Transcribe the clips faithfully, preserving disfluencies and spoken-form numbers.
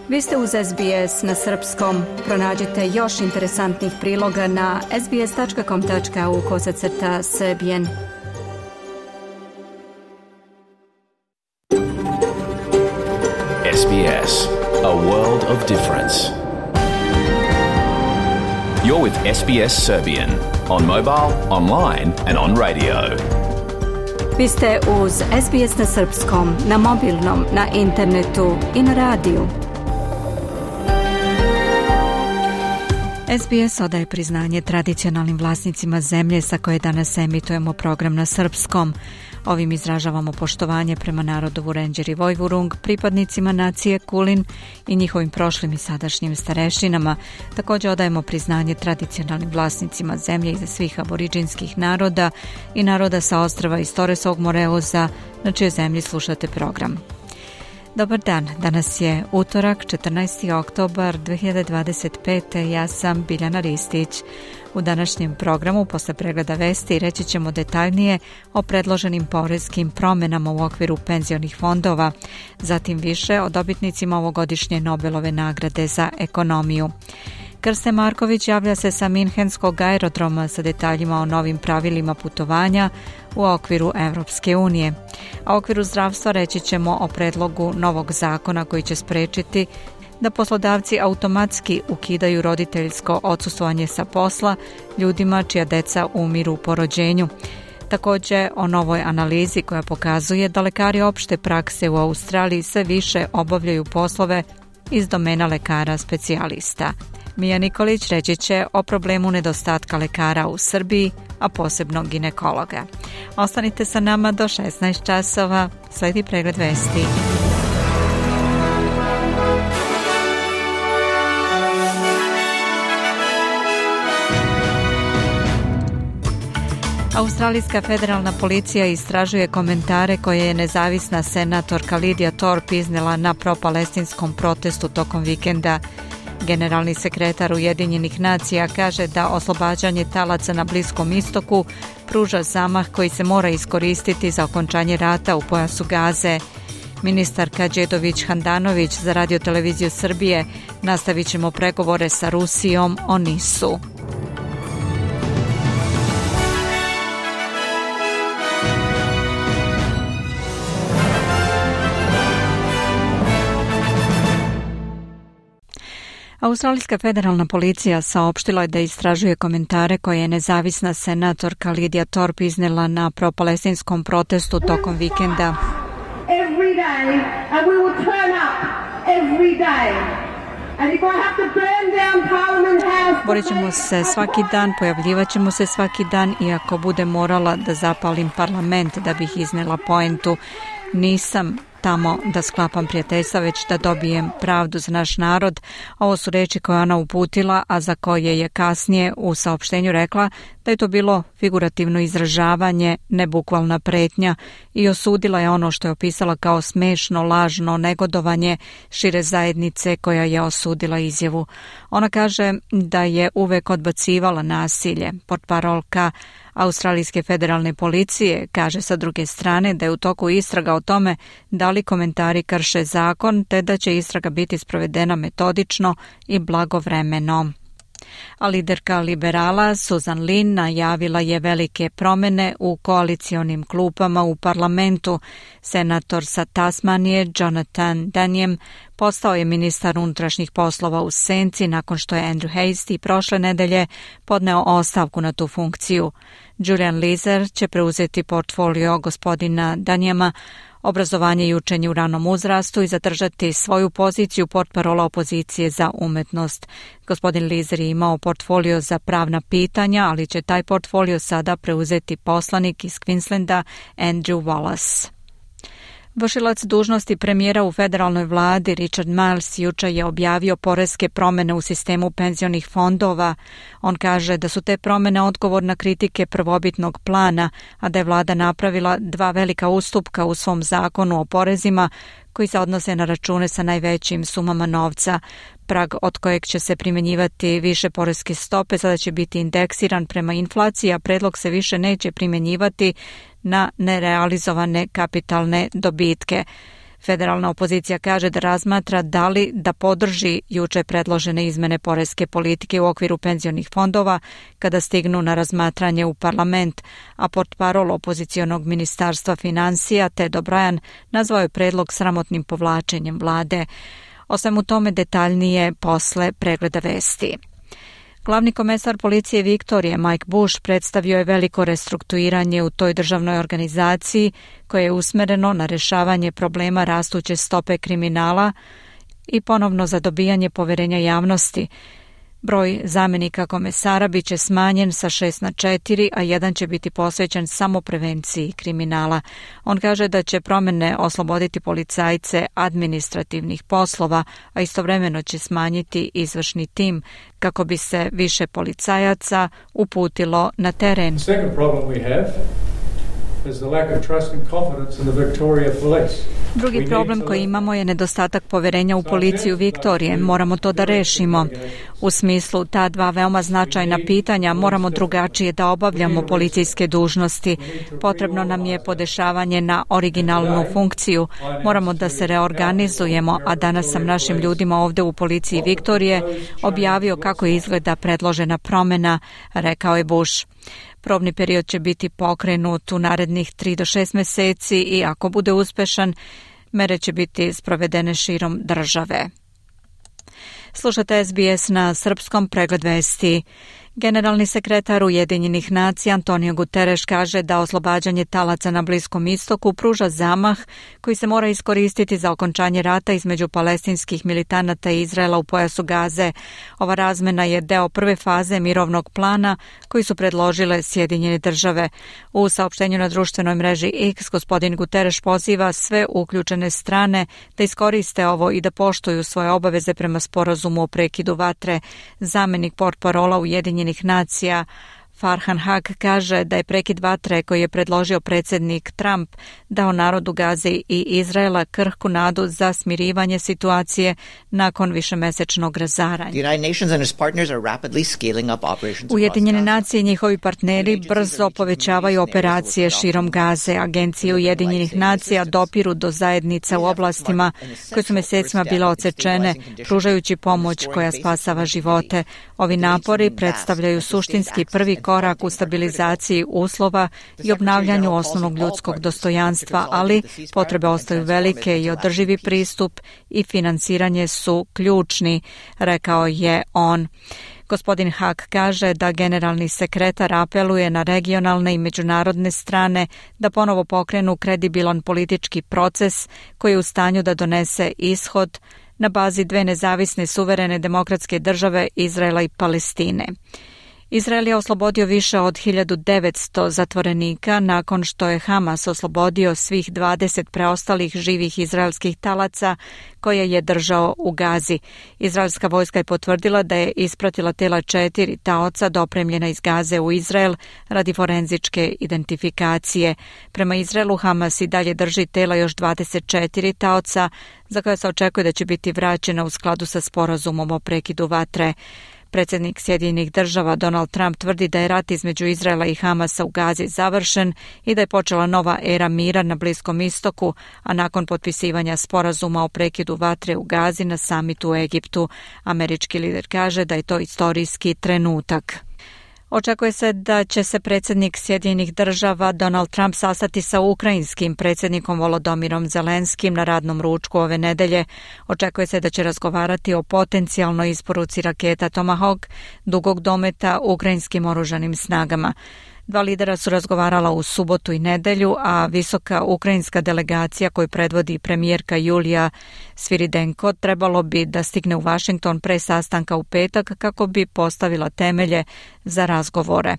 Vi ste uz S B S na srpskom. Pronađite još interesantnih priloga na sbs.com.au kosacrta srbijen. S B S, a world of difference. You're with S B S Serbian on mobile, online and on radio. Vi ste uz S B S na srpskom, na mobilnom, na internetu i na radiju. S B S odaje priznanje tradicionalnim vlasnicima zemlje sa koje danas emitujemo program na srpskom. Ovim izražavamo poštovanje prema narodu Vurenđer i Vojvurung, pripadnicima nacije Kulin i njihovim prošlim i sadašnjim starešinama. Također odajemo priznanje tradicionalnim vlasnicima zemlje iza svih aboriđinskih naroda i naroda sa ostrva iz Toresovog Moreuza, na čijoj zemlji slušate program. Dobar dan, danas je utorak, četrnaesti oktobar dve hiljade dvadeset pete. Ja sam Biljana Ristić. U današnjem programu, posle pregleda vesti, reći ćemo detaljnije o predloženim porezkim promjenama u okviru penzionih fondova, zatim više o dobitnicima ovogodišnje Nobelove nagrade za ekonomiju. Krste Marković javlja se sa Minhenskog aerodroma sa detaljima o novim pravilima putovanja u okviru Evropske unije. A u okviru zdravstva reći ćemo o predlogu novog zakona koji će sprečiti da poslodavci automatski ukidaju roditeljsko odsustvovanje sa posla ljudima čija deca umiru po rođenju. Također o novoj analizi koja pokazuje da lekari opšte prakse u Australiji sve više obavljaju poslove iz domena lekara specijalista. Mija Nikolić reći će o problemu nedostatka lekara u Srbiji, a posebno ginekologa. Ostanite sa nama do šesnaest časova, sledi pregled vesti. Australijska federalna policija istražuje komentare koje je nezavisna senatorka Lidija Thorpe iznela na propalestinskom protestu tokom vikenda. Generalni sekretar Ujedinjenih nacija kaže da oslobađanje talaca na Bliskom istoku pruža zamah koji se mora iskoristiti za okončanje rata u pojasu Gaze. Ministarka Đedović Handanović za Radio-televiziju Srbije: nastavit ćemo pregovore sa Rusijom o Nisu. Australijska federalna policija saopštila je da istražuje komentare koje je nezavisna senatorka Lidija Thorpe iznela na propalestinskom protestu tokom vikenda. Every day, and we will turn up every day. And if I have to burn down Parliament House, borit ćemo se svaki dan, pojavljivat ćemo se svaki dan, i ako bude morala da zapalim parlament da bih iznela poentu, nisam tamo da sklapam prijateljstva, već da dobijem pravdu za naš narod. Ovo su reči koje ona uputila, a za koje je kasnije u saopštenju rekla da je to bilo figurativno izražavanje, ne bukvalna pretnja, i osudila je ono što je opisala kao smešno, lažno negodovanje šire zajednice koja je osudila izjavu. Ona kaže da je uvek odbacivala nasilje. Portparolka Australijske federalne policije kaže sa druge strane da je u toku istraga o tome da li komentari krše zakon, te da će istraga biti sprovedena metodično i blagovremeno. A liderka liberala Susan Lynn najavila je velike promjene u koalicionim klupama u parlamentu. Senator sa Tasmanije Jonathan Danijem postao je ministar unutrašnjih poslova u senci nakon što je Andrew Hastie prošle nedelje podneo ostavku na tu funkciju. Julian Leeser će preuzeti portfolio gospodina Danijema, obrazovanje i učenje u ranom uzrastu, i zadržati svoju poziciju portparola opozicije za umetnost. Gospodin Leeser je imao portfolio za pravna pitanja, ali će taj portfolio sada preuzeti poslanik iz Queenslanda Andrew Wallace. Vršilac dužnosti premijera u federalnoj vladi Richard Marles jučer je objavio poreske promjene u sistemu penzionih fondova. On kaže da su te promjene odgovor na kritike prvobitnog plana, a da je vlada napravila dva velika ustupka u svom zakonu o porezima koji se odnose na račune sa najvećim sumama novca. Prag od kojeg će se primjenjivati više poreske stope sada će biti indeksiran prema inflaciji, a predlog se više neće primjenjivati na nerealizovane kapitalne dobitke. Federalna opozicija kaže da razmatra da li da podrži juče predložene izmene poreske politike u okviru penzionih fondova kada stignu na razmatranje u parlament, a portparol opozicionog ministarstva financija Ted O'Brien nazvao je predlog sramotnim povlačenjem vlade. O svemu tome detaljnije posle pregleda vesti. Glavni komesar policije Viktorije Mike Bush predstavio je veliko restrukturiranje u toj državnoj organizaciji koje je usmereno na rešavanje problema rastuće stope kriminala i ponovno zadobijanje poverenja javnosti. Broj zamenika komesara biće smanjen sa šest na četiri, a jedan će biti posvećen samo prevenciji kriminala. On kaže da će promene osloboditi policajce administrativnih poslova, a istovremeno će smanjiti izvršni tim kako bi se više policajaca uputilo na teren. Drugi problem koji imamo je nedostatak poverenja u policiju Viktorije. Moramo to da rešimo. U smislu ta dva veoma značajna pitanja moramo drugačije da obavljamo policijske dužnosti. Potrebno nam je podešavanje na originalnu funkciju. Moramo da se reorganizujemo, a danas sam našim ljudima ovde u policiji Viktorije objavio kako izgleda predložena promena, rekao je Bush. Probni period će biti pokrenut u narednih tri do šest meseci i ako bude uspešan, mere će biti sprovedene širom države. Slušate S B S na srpskom, pregled vesti. Generalni sekretar Ujedinjenih nacija Antonio Guterres kaže da oslobađanje talaca na Bliskom istoku pruža zamah koji se mora iskoristiti za okončanje rata između palestinskih militanata i Izraela u pojasu Gaze. Ova razmena je deo prve faze mirovnog plana koji su predložile Sjedinjene države. U saopštenju na društvenoj mreži X gospodin Guterres poziva sve uključene strane da iskoriste ovo i da poštuju svoje obaveze prema sporazumu o prekidu vatre. Zamenik portparola Ujedinjenih nacija Farhan Haq kaže da je prekid vatre koji je predložio predsjednik Trump dao narodu Gaze i Izraela krhku nadu za smirivanje situacije nakon višemesečnog razaranja. Ujedinjene nacije i njihovi partneri brzo povećavaju operacije širom Gaze. Agencije Ujedinjenih nacija dopiru do zajednica u oblastima koje su mesecima bile odsečene, pružajući pomoć koja spasava živote. Ovi napori predstavljaju suštinski prvi korak u stabilizaciji uslova i obnavljanju osnovnog ljudskog dostojanstva, ali potrebe ostaju velike i održivi pristup i finansiranje su ključni, rekao je on. Gospodin Haq kaže da generalni sekretar apeluje na regionalne i međunarodne strane da ponovo pokrenu kredibilan politički proces koji je u stanju da donese ishod na bazi dve nezavisne suverene demokratske države Izraela i Palestine. Izrael je oslobodio više od hiljadu devetsto zatvorenika nakon što je Hamas oslobodio svih dvadeset preostalih živih izraelskih talaca koje je držao u Gazi. Izraelska vojska je potvrdila da je ispratila tela četiri taoca dopremljena iz Gaze u Izrael radi forenzičke identifikacije. Prema Izraelu Hamas i dalje drži tela još dvadeset četiri taoca za koje se očekuje da će biti vraćena u skladu sa sporazumom o prekidu vatre. Predsjednik Sjedinjenih država Donald Trump tvrdi da je rat između Izraela i Hamasa u Gazi završen i da je počela nova era mira na Bliskom istoku, a nakon potpisivanja sporazuma o prekidu vatre u Gazi na samitu u Egiptu, američki lider kaže da je to istorijski trenutak. Očekuje se da će se predsjednik Sjedinjenih država Donald Trump sastati sa ukrajinskim predsjednikom Volodomirom Zelenskim na radnom ručku ove nedelje. Očekuje se da će razgovarati o potencijalnoj isporuci raketa Tomahawk dugog dometa ukrajinskim oružanim snagama. Dva lidera su razgovarala u subotu i nedelju, a visoka ukrajinska delegacija koju predvodi premijerka Julija Sviridenko trebalo bi da stigne u Washington pre sastanka u petak kako bi postavila temelje za razgovore.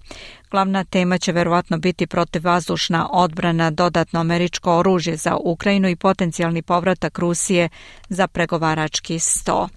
Glavna tema će verovatno biti protivvazdušna odbrana, dodatno američko oružje za Ukrajinu i potencijalni povratak Rusije za pregovarački sto.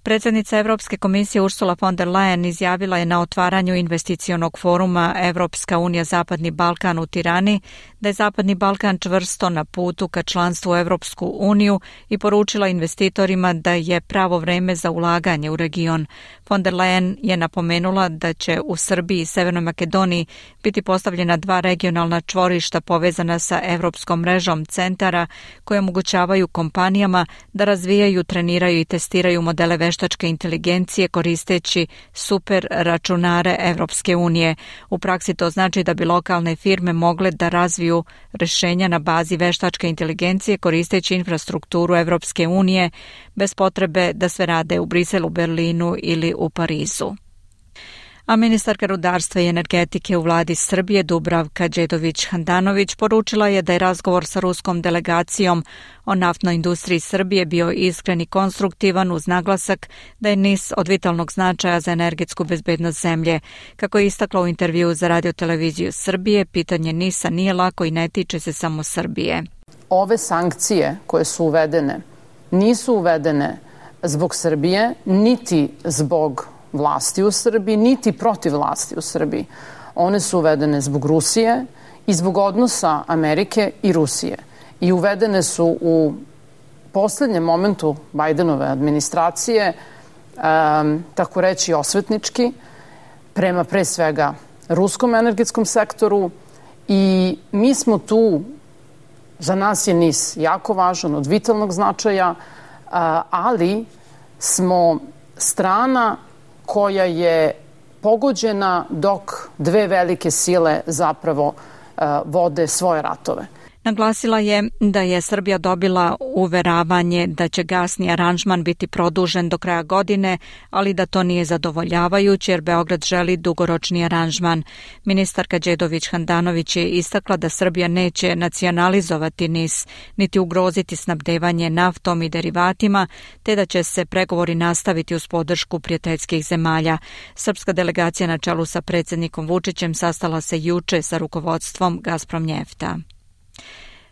Predsjednica Evropske komisije Ursula von der Leyen izjavila je na otvaranju investicionog foruma Evropska unija Zapadni Balkan u Tirani da je Zapadni Balkan čvrsto na putu ka članstvu u Evropsku uniju i poručila investitorima da je pravo vreme za ulaganje u region. Von der Leyen je napomenula da će u Srbiji i Severnoj Makedoniji biti postavljena dva regionalna čvorišta povezana sa evropskom mrežom centara koje omogućavaju kompanijama da razvijaju, treniraju i testiraju modele veštačke inteligencije koristeći super računare Evropske unije. U praksi to znači da bi lokalne firme mogle da razviju rešenja na bazi veštačke inteligencije koristeći infrastrukturu Evropske unije bez potrebe da sve rade u Briselu, Berlinu ili u Parizu. A ministarka rudarstva i energetike u vladi Srbije Dubravka Đedović-Handanović poručila je da je razgovor sa ruskom delegacijom o naftnoj industriji Srbije bio iskren i konstruktivan uz naglasak da je N I S od vitalnog značaja za energetsku bezbednost zemlje. Kako je istakla u intervjuu za radioteleviziju Srbije, pitanje N I S-a nije lako i ne tiče se samo Srbije. Ove sankcije koje su uvedene nisu uvedene zbog Srbije, niti zbog vlasti u Srbiji, niti protiv vlasti u Srbiji. One su uvedene zbog Rusije i zbog odnosa Amerike i Rusije. I uvedene su u poslednjem momentu Bajdenove administracije, um, tako reći osvetnički, prema pre svega ruskom energetskom sektoru i mi smo tu, za nas je N I S jako važan, od vitalnog značaja, uh, ali smo strana koja je pogođena dok dve velike sile zapravo uh, vode svoje ratove. Naglasila je da je Srbija dobila uveravanje da će gasni aranžman biti produžen do kraja godine, ali da to nije zadovoljavajuće jer Beograd želi dugoročni aranžman. Ministarka Đedović-Handanović je istakla da Srbija neće nacionalizovati N I S, niti ugroziti snabdevanje naftom i derivatima, te da će se pregovori nastaviti uz podršku prijateljskih zemalja. Srpska delegacija na čelu sa predsjednikom Vučićem sastala se juče sa rukovodstvom Gazpromnjefta.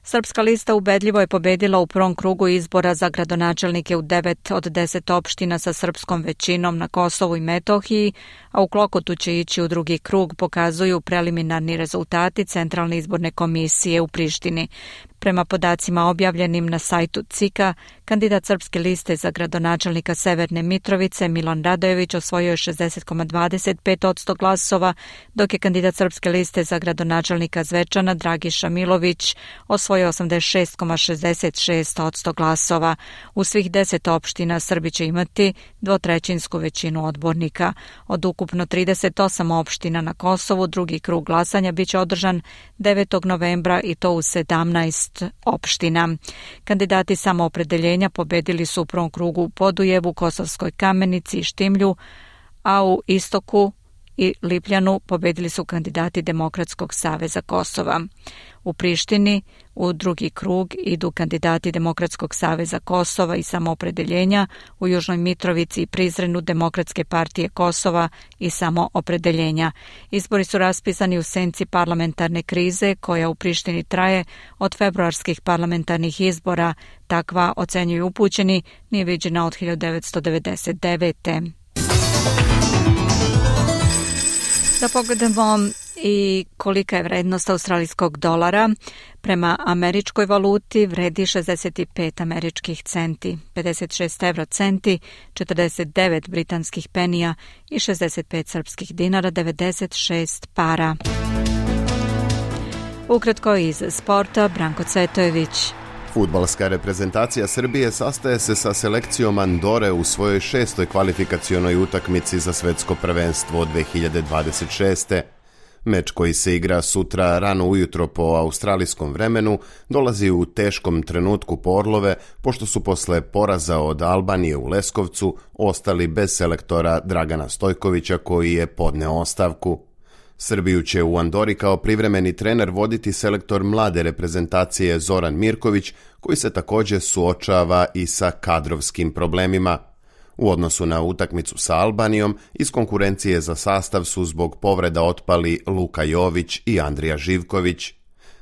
Srpska lista ubedljivo je pobedila u prvom krugu izbora za gradonačelnike u devet od deset opština sa srpskom većinom na Kosovu i Metohiji, a u Klokotu će ići u drugi krug, pokazuju preliminarni rezultati Centralne izborne komisije u Prištini. Prema podacima objavljenim na sajtu C I K-a, kandidat Srpske liste za gradonačelnika Severne Mitrovice Milan Radojević osvojio je šezdeset zarez dvadeset pet posto glasova, dok je kandidat Srpske liste za gradonačelnika Zvečana Dragiša Milović osvojio osamdeset šest zarez šezdeset šest posto glasova. U svih deset opština Srbi će imati dvotrećinsku većinu odbornika. Od ukupno trideset osam opština na Kosovu drugi krug glasanja biće održan devetog novembra i to u sedamnaest opština. Kandidati samoopredeljenja pobedili su u prvom krugu u Podujevu, Kosovskoj Kamenici i Štimlju, a u Istoku i Lipljanu pobedili su kandidati Demokratskog saveza Kosova. U Prištini u drugi krug idu kandidati Demokratskog saveza Kosova i samoopredeljenja, u Južnoj Mitrovici i Prizrenu Demokratske partije Kosova i samoopredeljenja. Izbori su raspisani u senci parlamentarne krize koja u Prištini traje od februarskih parlamentarnih izbora. Takva, ocenjuju upućeni, nije viđena od hiljadu devetsto devedeset devete. Da pogledamo i kolika je vrednost australijskog dolara. Prema američkoj valuti vredi šezdeset pet američkih centi, pedeset šest evro centi, četrdeset devet britanskih penija i šezdeset pet srpskih dinara, devedeset šest para. Ukratko iz sporta, Branko Cvetojević. Fudbalska reprezentacija Srbije sastaje se sa selekcijom Andore u svojoj šestoj kvalifikacionoj utakmici za svetsko prvenstvo dve hiljade dvadeset šeste. Meč koji se igra sutra rano ujutro po australijskom vremenu dolazi u teškom trenutku po Orlove, pošto su posle poraza od Albanije u Leskovcu ostali bez selektora Dragana Stojkovića koji je podneo ostavku. Srbiju će u Andori kao privremeni trener voditi selektor mlade reprezentacije Zoran Mirković, koji se također suočava i sa kadrovskim problemima. U odnosu na utakmicu sa Albanijom, iz konkurencije za sastav su zbog povreda otpali Luka Jović i Andrija Živković.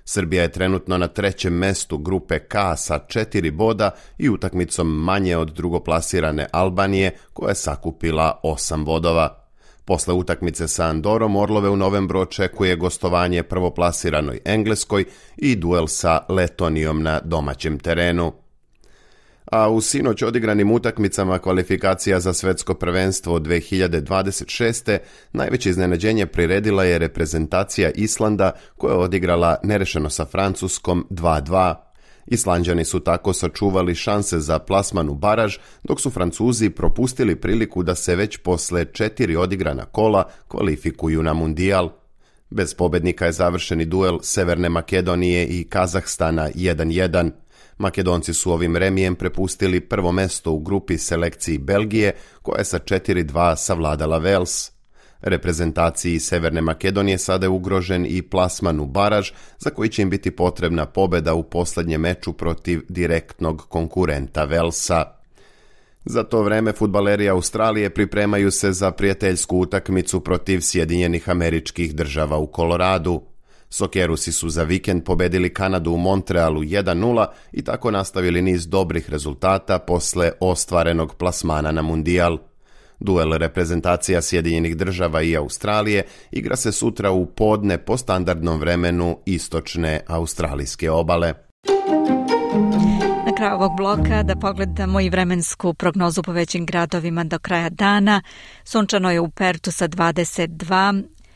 Srbija je trenutno na trećem mestu grupe K sa četiri boda i utakmicom manje od drugoplasirane Albanije, koja je sakupila osam bodova. Posle utakmice sa Andorom, Orlove u novembru očekuje gostovanje prvoplasiranoj Engleskoj i duel sa Letonijom na domaćem terenu. A u sinoć odigranim utakmicama kvalifikacija za svetsko prvenstvo dve hiljade dvadeset šeste. najveće iznenađenje priredila je reprezentacija Islanda koja je odigrala nerešeno sa Francuskom dva dva. Islanđani su tako sačuvali šanse za plasman u baraž, dok su Francuzi propustili priliku da se već posle četiri odigrana kola kvalifikuju na mundijal. Bez pobednika je završeni duel Severne Makedonije i Kazahstana jedan jedan. Makedonci su ovim remijem prepustili prvo mesto u grupi selekciji Belgije, koja je sa četiri dva savladala Vels. Reprezentaciji Severne Makedonije sada je ugrožen i plasman u baraž, za koji će im biti potrebna pobeda u posljednjem meču protiv direktnog konkurenta Velsa. Za to vreme fudbaleri Australije pripremaju se za prijateljsku utakmicu protiv Sjedinjenih Američkih Država u Koloradu. Sokerusi su za vikend pobedili Kanadu u Montrealu jedan nula i tako nastavili niz dobrih rezultata posle ostvarenog plasmana na mundijal. Duel reprezentacija Sjedinjenih Država i Australije igra se sutra u podne po standardnom vremenu istočne australijske obale. Na kraju ovog bloka da pogledamo i vremensku prognozu po većim gradovima do kraja dana. Sunčano je u Pertu sa dvadeset dva,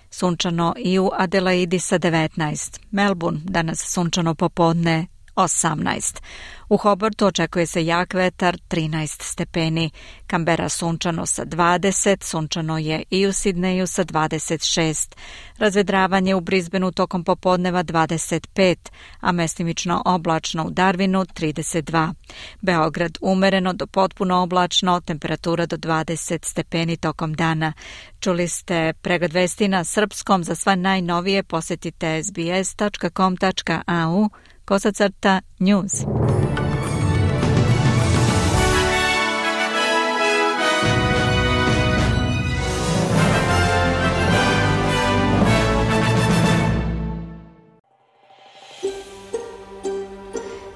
sunčano i u Adelaidi sa devetnaest. Melbourne danas sunčano popodne osamnaest. U Hobartu očekuje se jak vetar trinaest stepeni. Kambera sunčano sa dvadeset, sunčano je i u Sidneju sa dvadeset šest. Razvedravanje u Brisbaneu tokom popodneva dvadeset pet, a mestimično oblačno u Darwinu trideset dva. Beograd umereno do potpuno oblačno, temperatura do dvadeset stepeni tokom dana. Čuli ste pregled vesti na srpskom. Za sva najnovije posetite es be es tačka com tačka a u kosacrta news.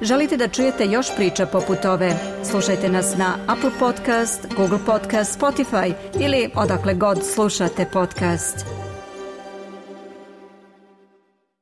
Želite da čujete još priča poput ove? Slušajte nas na Apple Podcast, Google Podcast, Spotify ili odakle god slušate podcast.